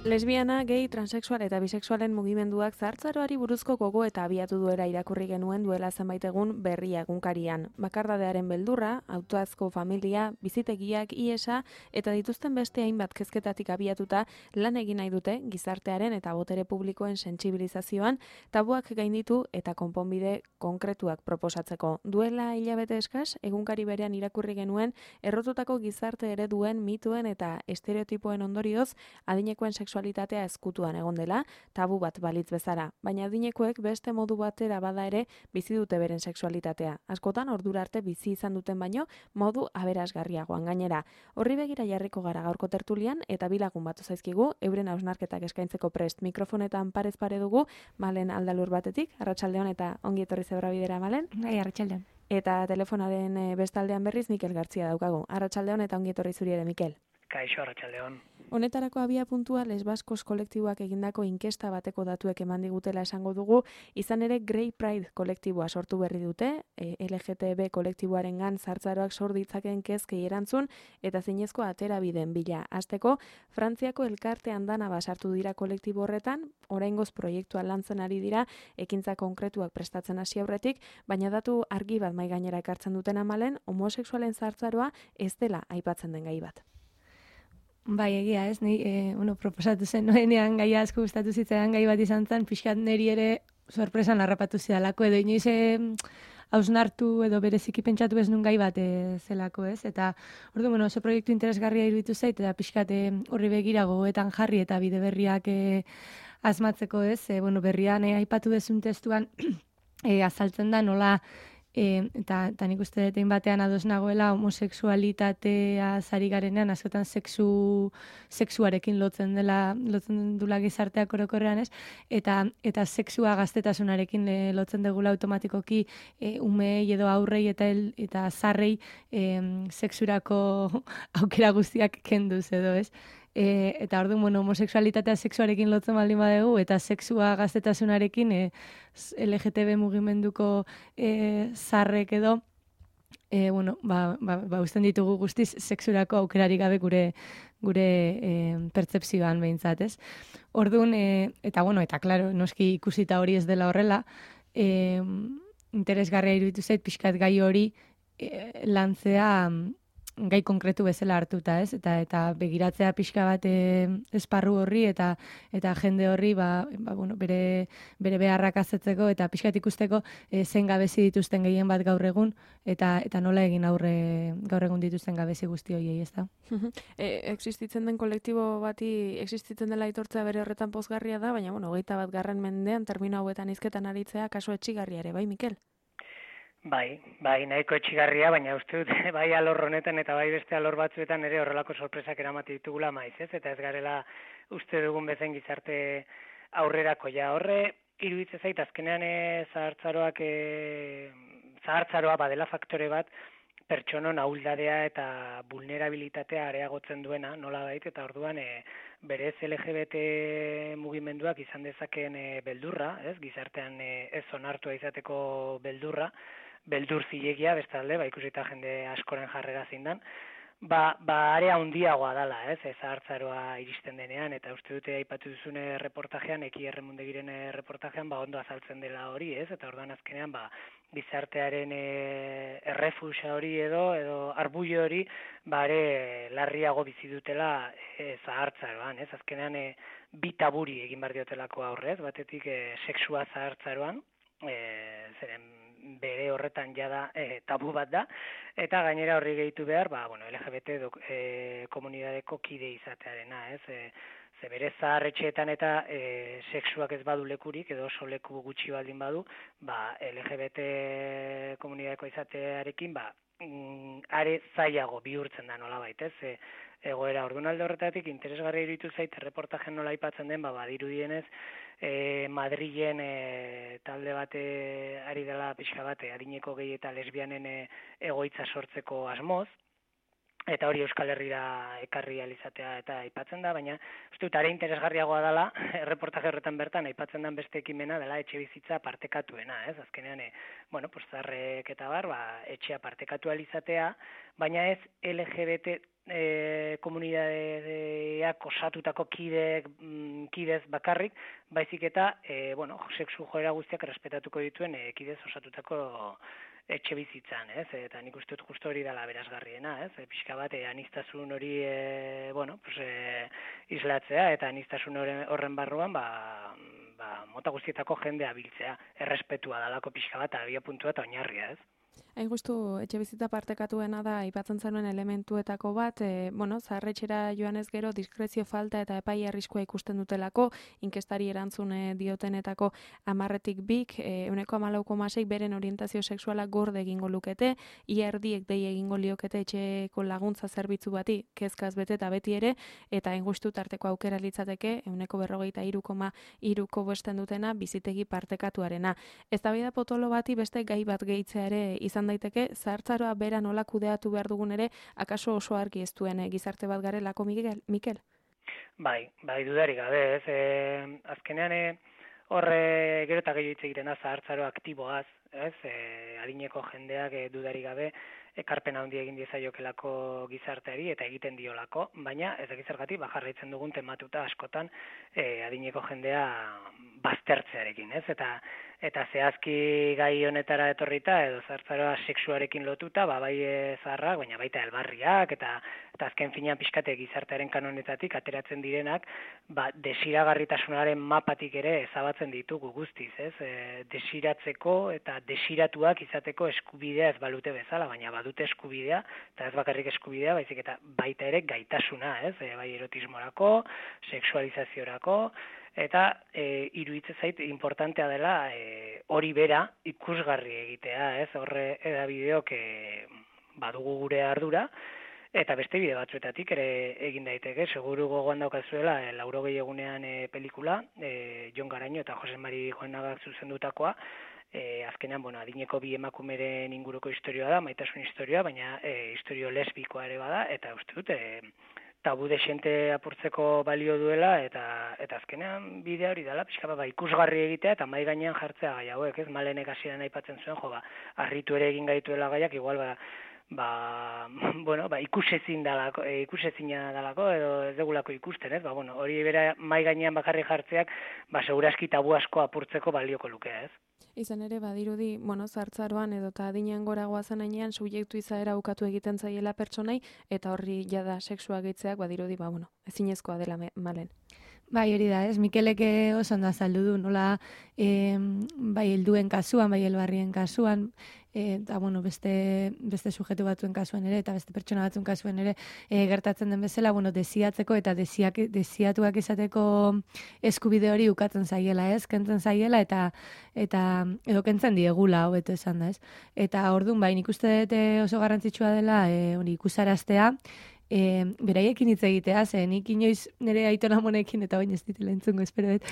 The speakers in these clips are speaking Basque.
Lesbiana, gay, transexual eta bisexualen mugimenduak zahartzaroari buruzko gogo eta abiatu duela irakurri genuen duela zenbait egun Berria egunkarian. Bakardadearen beldurra, autoazko familia, bizitegiak, iesa eta dituzten beste hainbat kezketatik abiatuta lan egin nahi dute gizartearen eta botere publikoen sentsibilizazioan, tabuak gainditu eta konponbide konkretuak proposatzeko. Duela hilabete eskas, egunkari berean irakurri genuen errotutako gizarte ereduen, mituen eta estereotipoen ondorioz, adinekoen sexualitatea ezkutuan egon dela, tabu bat balitz bezala, baina adinekoek beste modu batera bada ere bizi dute beren sexualitatea. Askotan ordura arte bizi izan duten baino modu aberasgarriagoan gainera. Horri begira jarriko gara gaurko tertulian eta bi lagun batu zaizkigu euren hausnarketak eskaintzeko prest. Mikrofonetan parez pare dugu Malen Aldalur batetik, arratsaldeon eta ongi etorri Zebra Bidera Malen. Bai, arratsaldeon. Eta telefonaren bestaldean berriz Mikel Gartzia daukagu. Arratsaldeon eta ongi etorri zuri ere Mikel. Kaixo, arratsaldeon. Honetarako abia puntua Lesbaskos kolektiboak egindako inkesta bateko datuek eman digutela esango dugu, izan ere Grey Pride kolektiboa sortu berri dute, LGTB kolektiboarengan zahartzaroak sor ditzakeen kezkei erantzun eta zinezko aterabideen bila. Hasteko, Frantziako elkarte andana basartu dira kolektibo horretan, oraingoz proiektua lantzen ari dira, ekintza konkretuak prestatzen hasi aurretik, baina datu argi bat mahai gainera ekartzen duten Malen, homosexualen zahartzaroa ez dela aipatzen den gai bat. Bai, egia ez, ni proposatu zen noenean gaia asko gustatu zitzaidan gai bat izan zen, pixkat niri ere sorpresan harrapatu zidalako, edo inoiz hausnartu edo bereziki pentsatu ez nun gai bat zelako ez, eta ordu, oso proiektu interesgarria iruditu zait, eta pixkat horri begira gogoetan jarri eta bide berriak asmatzeko ez, berrian aipatu dezun testuan azaltzen da nola, eta nik uste dut batean ados nagoela homosexualitatea zari garenean askotan sexuarekin lotzen dula gizarteak orokorrean ez, eta sexua gaztetasunarekin lotzen degula automatikoki umei edo aurrei eta zarrei sexurako aukera guztiak kenduz edo ez. Eta orduan, homosexualitatea sexuarekin lotzen baldin badegu, eta sexua gaztetasunarekin LGTB mugimenduko zarrek edo, usten ditugu guztiz sexurako aukerarik gabe gure pertzepzioan behintzat, ez? Orduan, eta klaro, noski ikusita hori ez dela horrela, interesgarria iruditu zait pixkat gai hori lantzea gai konkretu bezala hartuta, ez? Eta begiratzea pixka bat esparru horri eta jende horri bere beharrak azetzeko eta pixkat ikusteko zein gabezi dituzten gehien bat gaur egun eta nola egin aurre gaur egun dituzten gabezi guzti horiei, ez da? Existitzen den kolektibo bati existitzen dela aitortzea bere horretan pozgarria da, baina 21. mendean termino hauetan hizketan aritzea kaso etxigarria ere, bai Mikel? Bai, nahiko etxigarria, baina uste dut, bai alor honetan eta bai beste alor batzuetan ere horrelako sorpresak eramate ditugula maiz, ez? Eta ez garela uste dugun bezen gizarte aurrerako ja horre, iruditzen zait, azkenean zahartzaroa badela faktore bat, pertsonon ahuldadea eta vulnerabilitatea areagotzen duena, nola bait, eta orduan berez LGBT mugimenduak izan dezakeen beldurra, ez? Gizartean ez onartua izateko beldurra, beldur zilegia, bestalde, ikusita jende askoren jarrera zindan, area handiagoa dala, ez, zahartzaroa iristen denean, eta uste dute aipatu duzune reportajean, Eki Erremundegiren reportajean, ondo azaltzen dela hori, ez, eta orduan azkenean, gizartearen errefusa hori edo arbullo hori, ere larriago bizi dutela zahartzaroan, ez, azkenean bi taburi egin behar diotelako aurrez, batetik sexua zahartzaroan, zeren bere horretan jada tabu bat da, eta gainera horri gehitu behar, LGBT komunidadeko kide izatearena, ez? Ze bere zaharretxeetan eta sexuak ez badu lekurik, edo oso leku gutxi baldin badu, LGBT komunidadeko izatearekin, are zailago bihurtzen da nolabait, ez? Egoera orduan alde horretatik interesgarria iruditu zait erreportajen nola aipatzen den, badirudienez Madrilen talde bate ari dela pixka bate adineko gehi eta lesbianen egoitza sortzeko asmoz, eta hori Euskal Herrira ekarri alizatea eta aipatzen da, baina uste dut are interesgarriagoa dela, erreportaje horretan bertan aipatzen den beste ekimena dela etxe bizitza partekatuena, ez? Azkenean, zaharrek eta bar, etxea partekatu alizatea, baina ez LGBT komunidadeak osatutako kidez bakarrik, baizik eta, sexu joera guztiak errespetatuko dituen kidez osatutako etxe bizitzan, ez? Eta nik uste dut justo hori dela berazgarriena, ez? Pixka bat, aniztasun hori, islatzea, eta aniztasun horren barruan, mota guztietako jendea biltzea, errespetua dalako pixka bat, abia puntua eta oinarria, ez? Hain justu, etxe bizitza partekatuena da, aipatzen zenuen elementuetako bat, zaharretxera joanez gero, diskrezio falta eta epai arriskua ikusten dutelako, inkestari erantzun diotenetako 10tik 2, 14,6 beren orientazio sexuala gorde egingo lukete, ia erdiek dei egingo liokete etxeko laguntza zerbitzu bati, kezkaz bete eta beti ere, eta hain justu tarteko aukera litzateke, 43,3ko bosten dutena, bizitegi partekatuarena. Eztabaida potolo bati beste gai bat gehitzea ere izan daiteke, zahartzaroa bera nola kudeatu behar dugun ere, akaso oso argi ez duen gizarte bat garelako, Mikel? Bai, dudarik gabe, ez? Azkenean, horre gero eta gehiago hitz egiten da zahartzaro aktiboaz, ez? Adineko jendeak dudarik gabe, ekarpen handi egin diezaiokelako gizarteari eta egiten diolako, baina ez dakiz zergatik jarraitzen dugun tematuta askotan adineko jendea baztertzearekin, ez? Eta zehazki gai honetara etorrita edo zahartzaroa sexuarekin lotuta, bai zaharrak, baina baita elbarriak eta azken finean pixkate gizartearen kanonetatik ateratzen direnak, desiragarritasunaren mapatik ere ezabatzen ditugu guztiz, ez? Desiratzeko eta desiratuak izateko eskubidea ez balute bezala, baina badute eskubidea, eta ez bakarrik eskubidea, baizik eta baita ere gaitasuna, ez? Bai erotismorako, sexualizaziorako, eta iruditzen zait importantea dela hori bera ikusgarri egitea, ez? Horre edabideok badugu gure ardura, eta beste bide batzuetatik ere egin daiteke, seguru gogoan daukazuela 80 egunean pelikula, Jon Garaño eta Jose Mari Goenagak zuzendutakoa, azkenean, adineko bi emakumeren inguruko historioa da, maitasun historioa, baina historio lesbikoa ere bada, eta uste dut, tabu dexente apurtzeko balio duela, eta azkenean bidea hori dela, pixka ikusgarri egitea, eta mai gainean jartzea gai hauek, ez? Malenek hasieran aipatzen zuen, harritu ere egin gaituela gaiak, igual ikusezina dalako, edo ez degulako ikusten, ez? Hori bera mai gainean bakarrik jartzeak, segurazki tabu asko apurtzeko balioko lukea, ez? Izan ere, badirudi, zahartzaroan edo eta adinean gora goazen ainean, subjektu izaera ukatu egiten zaiela pertsonai, eta horri jada sexua gehitzeak, badirudi, ezinezkoa dela Malen. Bai, hori da, ez? Mikelek oso ondo azaldu du, nola bai helduen kasuan, bai helbarrien kasuan, eta beste sujetu batzuen kasuan ere, eta beste pertsona batzuen kasuan ere, gertatzen den bezala, desiatzeko eta desiatuak izateko eskubide hori ukatzen zaiela, ez? Kentzen zaiela, eta edo kentzen diegula, hobeto esan da, ez? Eta orduan, bai, nik uste dut oso garrantzitsua dela, hori ikusaraztea, beraiekin hitz egitea, nik inoiz nire aiton amonekin, eta bain ez ditela entzungo, espero dut,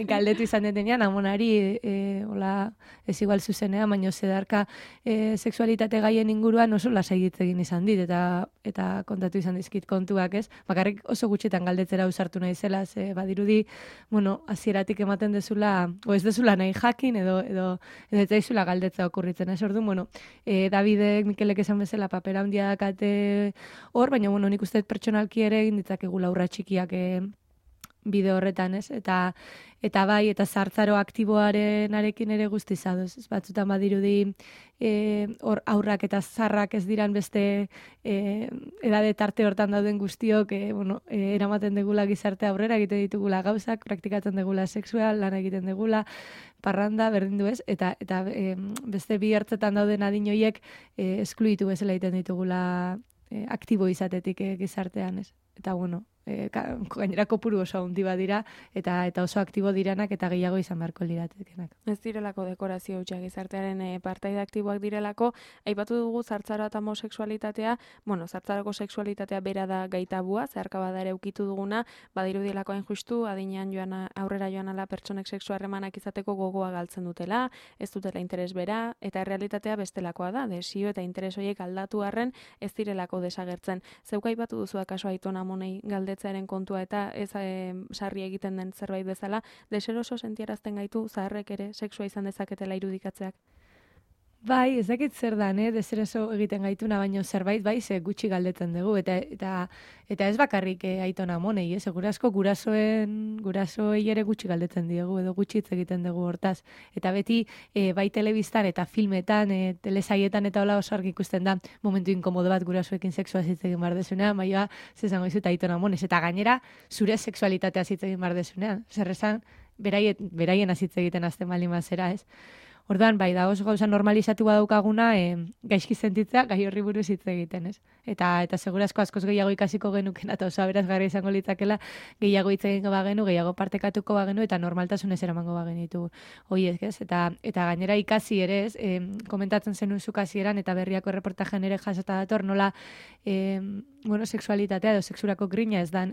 galdetu izan detenean, amonari, ez igual zuzenean, baino zedarka sexualitate gaien inguruan oso lasai hitz egin izan dit, eta kontatu izan dizkit kontuak, ez? Bakarrik oso gutxitan galdetzera usartu nahi zela, badirudi, hasieratik ematen dezula, o ez dezula nahi jakin, edo ez daizula galdetza okurritzen, ez? Orduan, Davidek, Mikelek esan bezala papera handia dakate hor, baina nik uste pertsonalki ere egin ditzakegula urra txikiak bide horretan, ez? Eta bai, eta zahartzaro aktiboaren arekin ere guztiz adoz. Batzutan badirudi hor aurrak eta zarrak ez diran beste edade tarte hortan dauden guztiok, eramaten degula gizarte aurrera, egiten ditugula gauzak, praktikatzen degula sexual, lan egiten degula, parranda, berdin du ez, eta beste bi hartzetan dauden adinoiek eskluitu bezala egiten ditugula aktibo izatetik gizartean, ez? Eta gainera kopuru oso handi badira, eta oso aktibo diranak eta gehiago izan beharko liratekenak. Ez direlako dekorazio hutsak gizartearen partaide aktiboak direlako, aipatu dugu zartzara eta homosexualitatea, zartzarako sexualitatea bera da gaitabua, zeharka bada ere ukitu duguna, badirudielako hain justu, adinean aurrera joan ala pertsonek sexu harremanak izateko gogoa galtzen dutela, ez dutela interes bera, eta errealitatea bestelakoa da, desio eta interes horiek aldatu arren ez direlako desagertzen. Zeuk aipatu duzu akaso Aiton Amonei galdetzearen kontua eta ez sarri egiten den zerbait bezala, deseroso sentiarazten gaitu zaharrek ere sexua izan dezaketela irudikatzeak? Bai, ez dakit zer dan, deseroso egiten gaituna, baino zerbait bai, ze gutxi galdetzen dugu, eta ez bakarrik Aiton Amonei, segurazko gurasoei ere gutxi galdetzen diegu, edo gutxi hitz egiten dugu hortaz. Eta beti, bai telebistan eta filmetan, telesaietan eta hola oso argi ikusten da, momentu inkomodo bat gurasoekin sexua hitz egin behar desunean, maioa, zezango izut Aiton Amonez, eta gainera, zure sexualitatea hitz egin behar desunean, zer esan, beraien azitze egiten azten baldin bazera, ez? Orduan, bai, da oso gauza normalizatu badaukaguna, gaizki sentitzea, gai horri buruz hitz egiten, ez? Eta segurazko askoz gehiago ikasiko genuken, eta oso aberazgarria izango litzakela, gehiago hitz egingo bagenu, gehiago partekatuko bagenu, eta normaltasunez eramango bagenitu horiek, ez? Eta gainera ikasi ere, ez? Komentatzen zenun zuk hasieran eta berriako erreportajean ere jasota dator, nola sexualitatea edo sexurako grina ez dan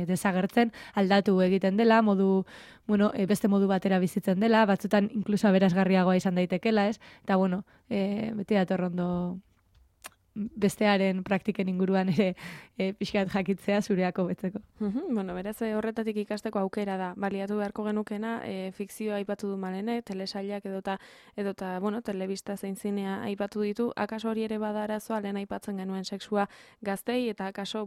desagertzen, aldatu egiten dela, beste modu batera bizitzen dela, batzutan inkluso aberazgarriagoa izan daitekela, ez? Eta beti datorrondo bestearen praktiken inguruan ere pixkat jakitzea zureako betzeko. Beraz horretatik ikasteko aukera da. Baliatu beharko genukena, fikzioa aipatu du Malene, telesailak edota telebista zein zinea aipatu ditu, akaso hori ere bada arazoa, lehen aipatzen genuen sexua gaztei, eta akaso,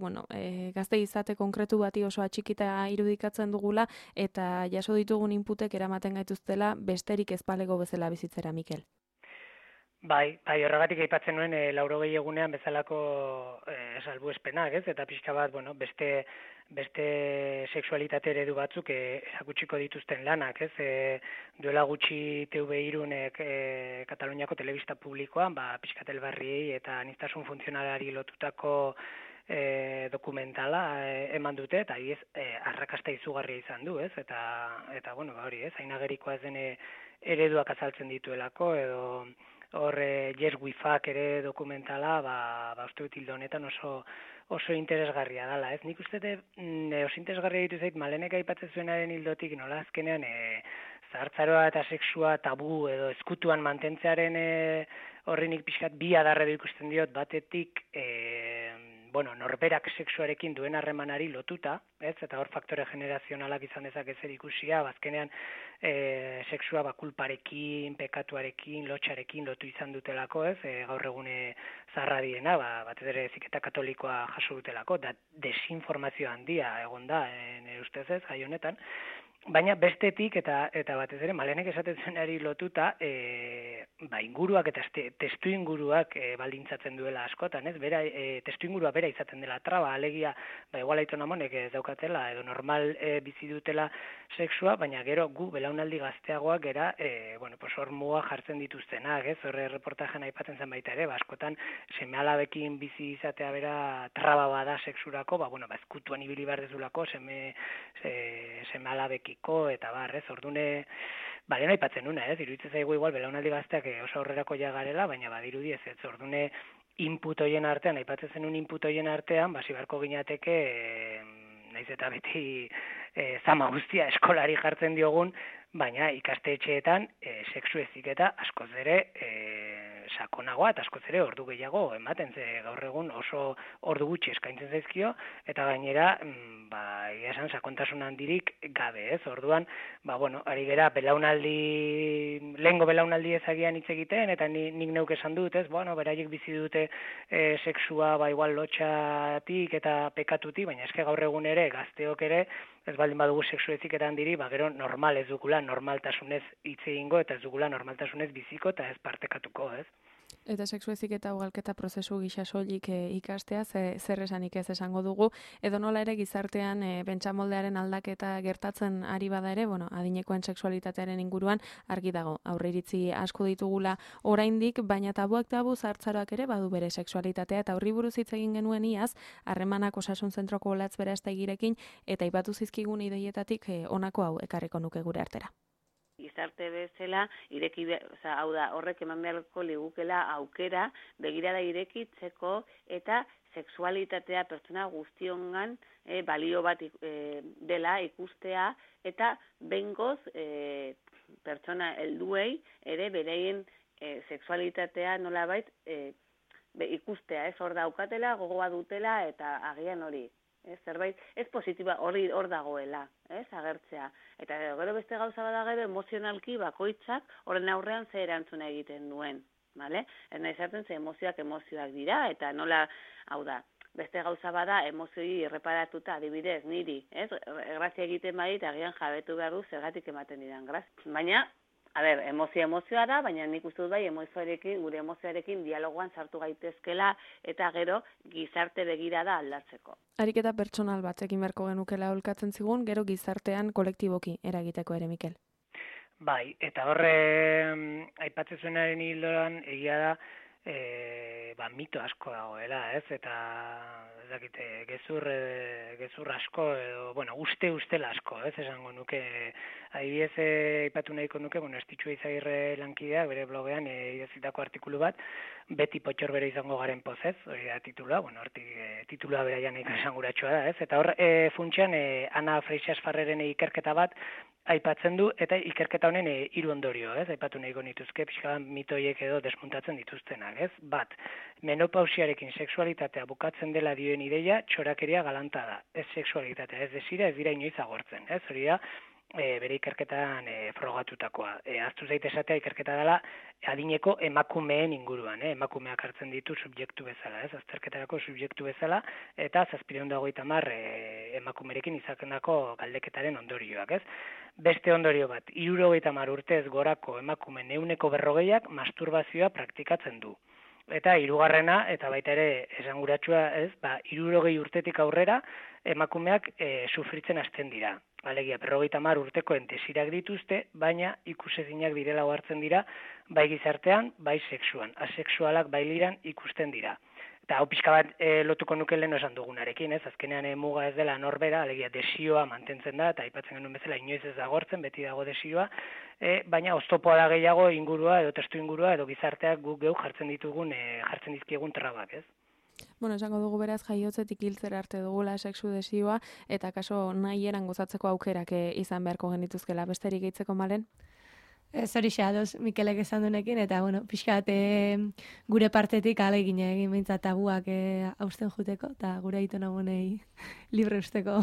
gaztei izate konkretu bati oso atxikita irudikatzen dugula, eta jaso ditugun inputek eramaten gaituztela besterik ezpalego bezala bizitzera, Mikel. Bai, horregatik aipatzen nuen 80 egunean bezalako salbuespenak, ez? Eta pixka bat, beste sexualitate eredu batzuk erakutsiko dituzten lanak, ez? Duela gutxi TV3-ek Kataluniako telebista publikoan, pixkat elbarriei eta aniztasun funtzionalari lotutako dokumentala eman dute, eta arrakasta izugarria izan du, ez? Eta hori, ez? Ainagerikoa ez den ereduak azaltzen dituelako, edo hor Yes We Fuck ere dokumentala, uste dut hildo honetan oso interesgarria dela, ez? Nik uste oso interesgarria ditu zait, Malenek aipatzen zuenaren hildotik, nola azkenean zahartzaroa eta sexua tabu edo ezkutuan mantentzearen horri nik pixkat bi adarredo ikusten diot, batetik norberak sexuarekin duen harremanari lotuta, ez? Eta hor faktore generazionalak izan dezake zer ikusia, bazkenean sexua kulparekin, pekatuarekin, lotxarekin lotu izan dutelako, ez? Gaur egune zaharra diena, batez ere heziketa katolikoa jaso dutelako, da desinformazio handia egon da, nire ustez ez, gai honetan. Baina bestetik eta batez ere Malenek esaten zuenari lotuta, inguruak eta testu inguruak baldintzatzen duela askotan, ez? Testu ingurua bera izaten dela traba, alegia, igual Aiton Amonek ez daukatela edo normal bizi dutela sexua, baina gero gu belaunaldi gazteagoak gera, hor muga jartzen dituztenak, ez? Horre reportajean aipatzen zen baita ere, askotan seme-alabekin bizi izatea bera traba bada sexurako, ezkutuan ibili behar dezulako seme-alabekin eta barrez, ordune, lehen aipatzen nuna, ez? Iruditzen zaigu igual belaunaldi gazteak oso aurrerako jagarela, baina badirudi ez, ordune input hoien artean, aipatzen zenun input hoien artean, zibarko ginateke, naiz eta beti zama guztia eskolari jartzen diogun, baina ikastetxeetan sexu heziketa askoz ere sakonagoa eta askoz ere ordu gehiago ematen, ze gaur egun oso ordu gutxi eskaintzen zaizkio, eta gainera, esan sakontasun handirik gabe, ez? Orduan, ari gera lehengo belaunaldi ezagian hitz egiten, eta nik neuk esan dut, ez? Beraiek bizi dute sexua, igual lotxatik eta pekatutik, baina eske gaur egun ere, gazteok ere, ez baldin badugu sexu heziketa handiri, gero normal ez dugula normaltasunez hitz egingo, eta ez dugula normaltasunez biziko, eta ez partekatuko, ez? Eta sexu heziketa ugalketa prozesu gisa soilik ikastea, zer esanik ez esango dugu, edo nola ere gizartean pentsamoldearen aldaketa gertatzen ari bada ere, adinekoen sexualitatearen inguruan argi dago. Aurreiritzi asko ditugula oraindik, baina tabuak tabu zahartzaroak ere badu bere sexualitatea, eta horri buruz hitz egin genuen iaz, harremanak osasun zentroko Olatz Berastegirekin, eta aipatu zizkigun ideietatik honako hau ekarriko nuke gure artera. Gizarte bezala hau da, horrek eman beharko ligukela aukera begirada irekitzeko eta sexualitatea pertsona guztiongan balio bat dela ikustea eta behingoz pertsona helduei ere bereien sexualitatea nolabait ikustea, hor daukatela, gogoa dutela eta agian hori. Zerbait, ez positiba hor dagoela, agertzea. Eta gero beste gauza bada gero emozionalki bakoitzak horren aurrean ze erantzuna egiten duen. Ez nahi zartzen ze emozioak dira, eta nola, hau da, beste gauza bada emozioi erreparatuta adibidez niri, grazia egiten badit agian jabetu behar du zergatik ematen didan grazia. Baina, emozioa da, baina nik uste dut bai gure emozioarekin dialogoan sartu gaitezkela eta gero gizarte begirada aldatzeko. Ariketa pertsonal batzekin beharko genukela olkatzen zigun, gero gizartean kolektiboki eragiteko ere, Mikel. Bai, eta horre aipatzen zuenaren hildoan egia da mito asko dagoela, eta ez dakite, gezur asko edo, ustela asko, esango nuke, adibidez aipatu nahiko nuke, Estitxu Izagirre lankideak bere blogean idazitako artikulu bat, beti potxor bere izango garen pozez, hori da titula, titula beraian esanguratsua da, eta hor funtsean Ana Freixas Farreren ikerketa bat aipatzen du, eta ikerketa honen 3 ondorio, aipatu nahiko nituzke, pixka mitoiek edo desmuntatzen dituztenak, Bat, menopausiarekin sexualitatea bukatzen dela dioen ideia, txorakeria galanta da, ez sexualitatea, ez desira, ez dira inoiz agortzen, hori da, bere ikerketan frogatutakoa. Aztu zaite esatea ikerketa dela adineko emakumeen inguruan, emakumeak hartzen ditu subjektu bezala, azterketarako subjektu bezala, eta 750 emakumerekin izakendako galdeketaren ondorioak, Beste ondorio bat, 70 urtez gorako emakumeen 140ak masturbazioa praktikatzen du. Eta 3. eta baita ere esanguratsua 60 urtetik aurrera emakumeak sufritzen hasten dira. Alegia, 50 urtekoen desirak dituzte, baina ikusezinak direla hartzen dira, bai gizartean, bai sexuan. Asexualak bai liran ikusten dira. Eta hau pixka bat lotuko nuke lehen esan dugunarekin, azkenean muga ez dela norbera, alegia desioa mantentzen da, eta aipatzen genuen bezala inoiz ez da gortzen, beti dago desioa, baina oztopoa da gehiago ingurua edo testu ingurua edo gizarteak guk geu jartzen dizkiegun trabak, Esango dugu beraz jaiotzetik hiltzera arte dugula sexu desioa, eta kaso nahi eran gozatzeko aukerak izan beharko genituzkela. Besterik gehitzeko, Malen? Zori xadoz, Mikelek esan dunekin, eta pixkat gure partetik ahalegin egin behintzat tabuak hausten juteko, eta gure aito nagonei libre usteko.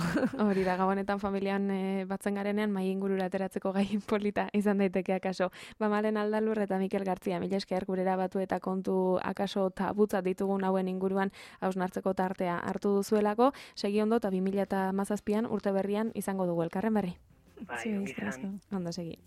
Hori da, gabonetan familian batzen garenean, mai ingurura ateratzeko gai polita izan daiteke akaso. Malen Aldalur eta Mikel Gartzia, mila esker gurera batu eta kontu akaso tabutzat ditugun hauen inguruan hausnartzeko tartea hartu duzuelako, segi ondo eta 2017an urte berrian izango dugu elkarren berri. Bai, Ondo segi.